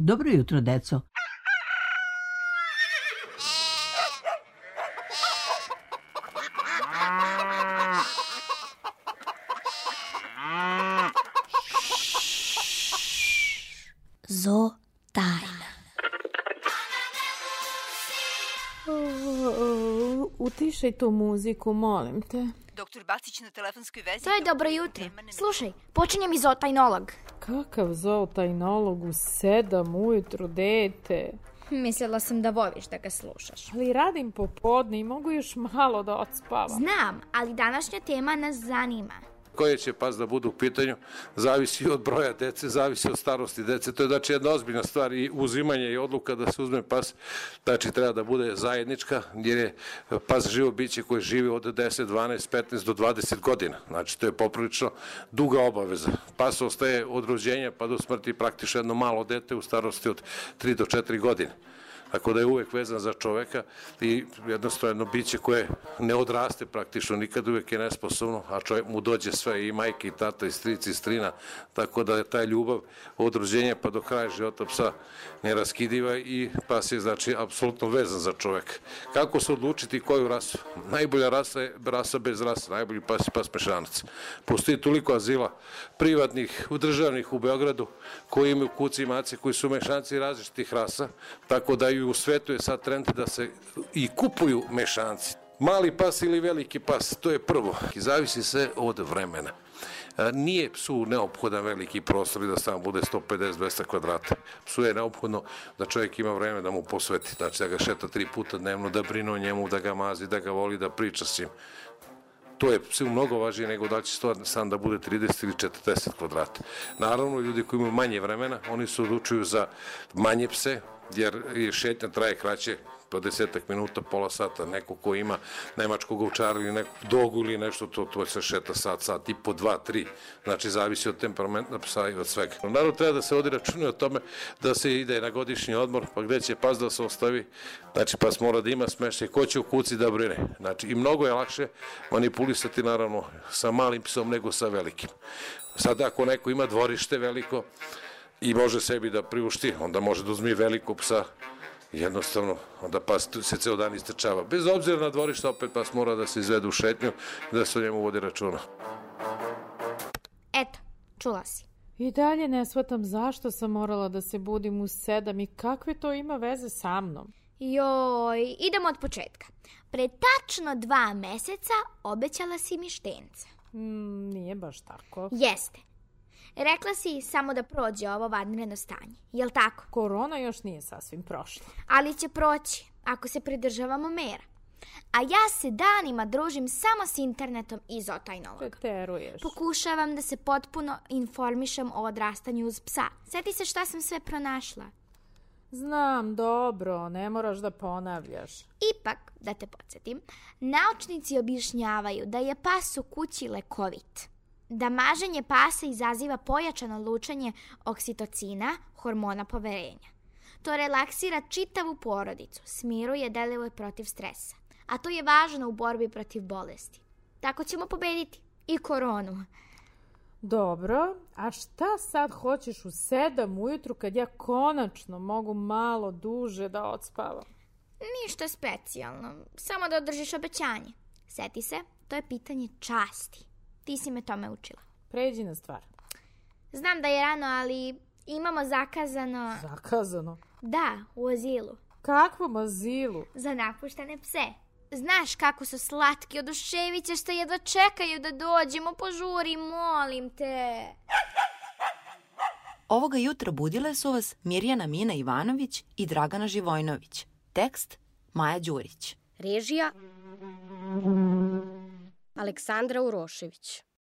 Dobro jutro, deco. Zo tajna. Utišaj tu muziku, molim te. Doktor Bacić na telefonskoj vezi. To je dobro jutro. Slušaj, počinjem iz zootajnolog. Kakav zootajnolog u 7 ujutru, dete? Mislila sam da voliš da ga slušaš. Ali radim popodne i mogu još malo da odspavam. Znam, ali današnja tema nas zanima. Koje će pas da budu u pitanju, zavisi od broja dece, zavisi od starosti dece. To je znači jedna ozbiljna stvar i uzimanje i odluka da se uzme pas, znači treba da bude zajednička, jer je pas živo biće koje živi od 10, 12, 15 do 20 godina. Znači to je poprilično duga obaveza. Pas ostaje od rođenja pa do smrti praktično jedno malo dete u starosti od 3 do 4 godine. Tako da je uvek vezan za čoveka i jednostavno biće koje ne odraste praktično nikad, uvek je nesposobno, a čovjek mu dođe sve, i majke, i tata, i stric, i strina, tako da je ta ljubav od rođenja pa do kraja života psa neraskidiva i pas je znači apsolutno vezan za čoveka. Kako se odlučiti koju rasu? Najbolja rasa je rasa bez rasa, najbolji pas je pas mešanac. Postoji toliko azila privatnih, državnih u Beogradu koji imaju kuci i mace koji su mešanci različitih rasa, tako da i u svetu je sad trend da se i kupuju mešanci. Mali pas ili veliki pas, to je prvo. I zavisi se od vremena. Nije psu neophodan veliki prostor i da sam bude 150-200 kvadrata. Psu je neophodno da čovjek ima vreme da mu posveti. Znači da ga šeta 3 puta dnevno, da brine o njemu, da ga mazi, da ga voli, da priča s njim. To je psu mnogo važnije nego da će stan da bude 30 ili 40 kvadrata. Naravno, ljudi koji imaju manje vremena, oni se odlučuju za manje pse, jer šetnja traje kraće, po 10 minuta, pola sata. Neko ko ima nemačkog ovčara ili nekog dogu ili nešto, to se šeta sat i po 2, 3. Znači, zavisi od temperamenta psa i od svega. Naravno, treba da se vodi računa o tome da se ide na godišnji odmor, pa gde će pas da se ostavi. Znači, pas mora da ima smeštaj, ko će u kući da brine. Znači, i mnogo je lakše manipulisati, naravno, sa malim psom nego sa velikim. Sad, ako neko ima dvorište veliko i može sebi da priušti, onda može da uzme veliko psa. Jednostavno, onda pas se ceo dan istrčava. Bez obzira na dvorište, opet pas mora da se izvede u šetnju i da se o njemu vodi računa. Eto, čula si. I dalje ne shvatam zašto sam morala da se budim u 7 i kakve to ima veze sa mnom. Joj, idemo od početka. Pre tačno 2 meseca obećala si mi štenca. Nije baš tako. Jeste. Rekla si samo da prođe ovo vanredno stanje, jel tako? Korona još nije sasvim prošla. Ali će proći, ako se pridržavamo mera. A ja se danima družim samo s internetom i zootajnologa. Preteruješ. Pokušavam da se potpuno informišem o odrastanju uz psa. Sjeti se šta sam sve pronašla. Znam, dobro, ne moraš da ponavljaš. Ipak, da te podsjetim, naučnici objašnjavaju da je pas u kući lekovit. Da maženje pasa izaziva pojačano lučenje oksitocina, hormona poverenja. To relaksira čitavu porodicu, smiruje, deluje protiv stresa. A to je važno u borbi protiv bolesti. Tako ćemo pobediti i koronu. Dobro, a šta sad hoćeš u 7 ujutru kad ja konačno mogu malo duže da odspavam? Ništa specijalno, samo da održiš obećanje. Sjeti se, to je pitanje časti. Ti si me tome učila. Pređi na stvar. Znam da je rano, ali imamo zakazano... Zakazano? Da, u azilu. Kakvom azilu? Za napuštene pse. Znaš kako su slatki, oduševit ćeš se, jedva čekaju da dođemo, požuri, molim te. Ovoga jutra budile su vas Mirjana Mina Ivanović i Dragana Živojnović. Tekst Maja Đurić. Režija Aleksandra Urošević.